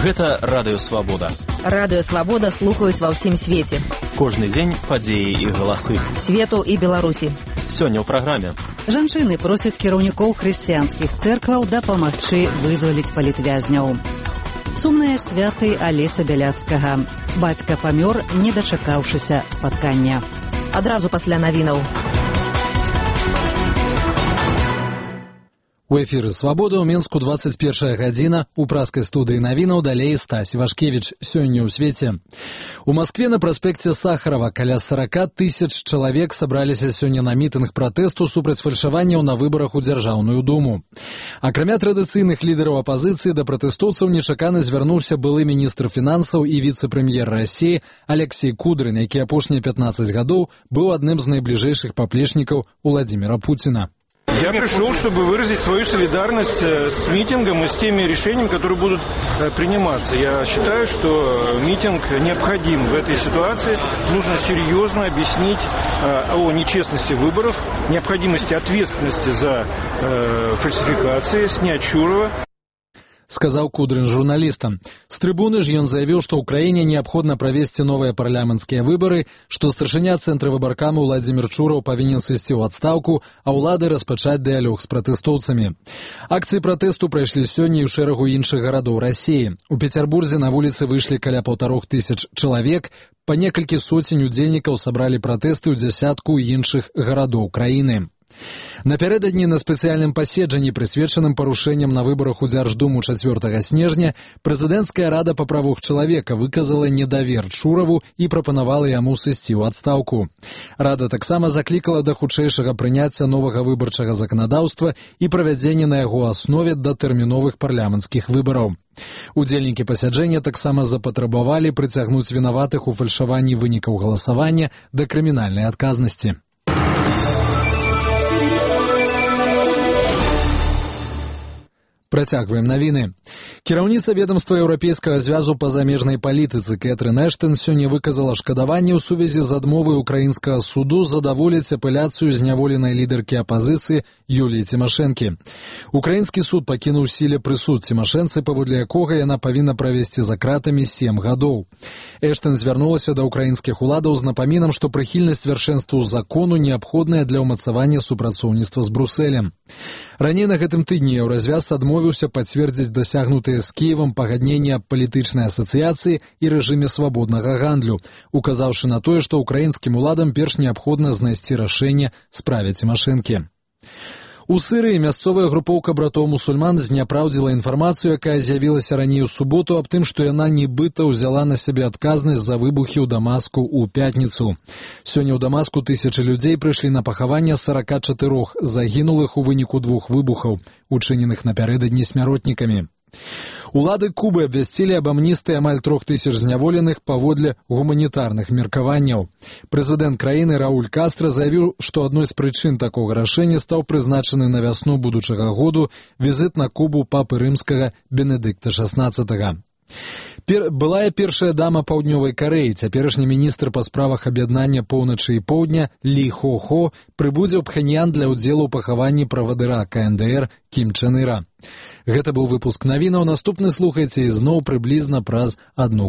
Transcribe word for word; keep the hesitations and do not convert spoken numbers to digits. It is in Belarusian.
Гэта Радыё Свабода. Радыё Свабода слухаюць ва ўсім свеце. Кожны дзень падзеі і галасы. Свету і Беларусі. Сёння ў праграме. Жанчыны просяць кіраўнікоў хрысціянскіх цэркваў дапамагчы вызваліць палітвязняў. Сумныя святы Алеся Бяляцкага. Бацька памёр, не дачакаўшыся спаткання. Адразу пасля навінаў. У эфіры «Свабода» ў Мінску двадцать першая гадзіна. У праскай студыі навінаў далей Стась Вашкевіч. Сёння ў свеце. У Маскве на праспекце Сахарова каля сорок тысяч чалавек сабраліся сёння на мітынг пратэсту супраць фальшаванняў на выбарах у Дзяржаўную думу. Акрамя традыцыйных лідараў апазіцыі, да пратэстоўцаў нечакана звярнуўся былы міністр фінансаў і віцэ-прэм'ер Расіі Алексей Кудрин, які апошнія пятнадцать гадоў быў адным з найбліжэйшых паплечнікаў Владимира Путина. Я пришел, чтобы выразить свою солидарность с митингом и с теми решениями, которые будут приниматься. Я считаю, что митинг необходим в этой ситуации. Нужно серьезно объяснить о нечестности выборов, необходимости ответственности за фальсификации, снять Чурова. Сказаў Кудрин журналістам. З трыбуны ж ён заявіў, што ўкраіне неабходна правесці новыя парламенцкія выбары, што старшыня цэнтра выбаркаму Владзімір Чураў павінен сысці ў адстаўку, а ўлады распачаць дыялог з пратэстоўцамі. Акцыі пратэсту прайшлі сёння і ў шэрагу іншых гарадоў Расіі. У Пецярбурзе на вуліцы выйшлі каля паўтарох тысяч чалавек, па некалькі соцень удзельнікаў сабралі пратэсты ў дзясятку іншых гарадоў краіны. Напярэдадні на спецыяльным паседжанні, прысвечаным парушэнням на выбарах у Дзярждуму чацвёртага снежня, прэзідэнцкая рада па правах чалавека выказала недавер Чураву і прапанавала яму сысці ў адстаўку. Рада таксама заклікала да хутчэйшага прыняцця новага выбарчага заканадаўства і правядзення на яго аснове датэрміновых парламенцкіх выбараў. Удзельнікі пасяджэння таксама запатрабавалі прыцягнуць вінаватых у фальшаванні вынікаў галасавання да крымінальнай адказнасці. Працягваем навіны. Кіраўніца ведамства Еўрапейскага звязу па замежнай палітыцы Кэтрын Эштон сёння выказала шкадаванне ў сувязі з адмовай украінскага суду задаволіць апеляцыю зняволенай лідаркі апазіцыі Юліі Цімашэнкі. Украінскі суд пакінуў у сіле прысуд Цімашэнцы, паводле якога яна павінна правесці за кратамі сем гадоў. Эштон звярнулася да украінскіх уладаў з напамінам, што прыхільнасць вяршэнству закону неабходная для ўмацавання супрацоўніцтва з Брусэлем. Раней на гэтым тыдні Еўразвяз адмовіўся пацвердзіць дасягнутыя з Кіевам пагаднення аб палітычнай асацыяцыі і рэжыме свабоднага гандлю, указаўшы на тое, што украінскім уладам перш неабходна знайсці рашэнне справе Цімашэнкі. У Сырыі мясцовая групоўка братоў-мусульман зняпраўдзіла інфармацыю, якая з'явілася раней у суботу аб тым, што яна нібыта ўзяла на сябе адказнасць за выбухі ў Дамаску ў пятніцу. Сёння ў Дамаску тысячы людзей прыйшлі на пахаванне сорок чатырох загінулых у выніку двух выбухаў, учыненых напярэдадні смяротнікамі. Улады Кубы абвясцілі аб амністыі амаль трох тысяч зняволеных паводле гуманітарных меркаванняў. Прэзідэнт краіны Рауль Кастра заявіў, што адной з прычын такога рашэння стаў прызначаны на вясну будучага году візіт на Кубу папы рымскага Бенедыкта шаснаццатага. Пер... Былая першая дама паўднёвай Карэі, цяперашні міністр па справах аб'яднання поўначы і поўдня Лі Хо-Хо прыбудзе ў Пхеньян для ўдзелу ў пахаванні правадыра ка эн дэ эр Кім Чен Іра. Гэта быў выпуск навінаў. Наступны слухайце ізноў прыблізна праз адну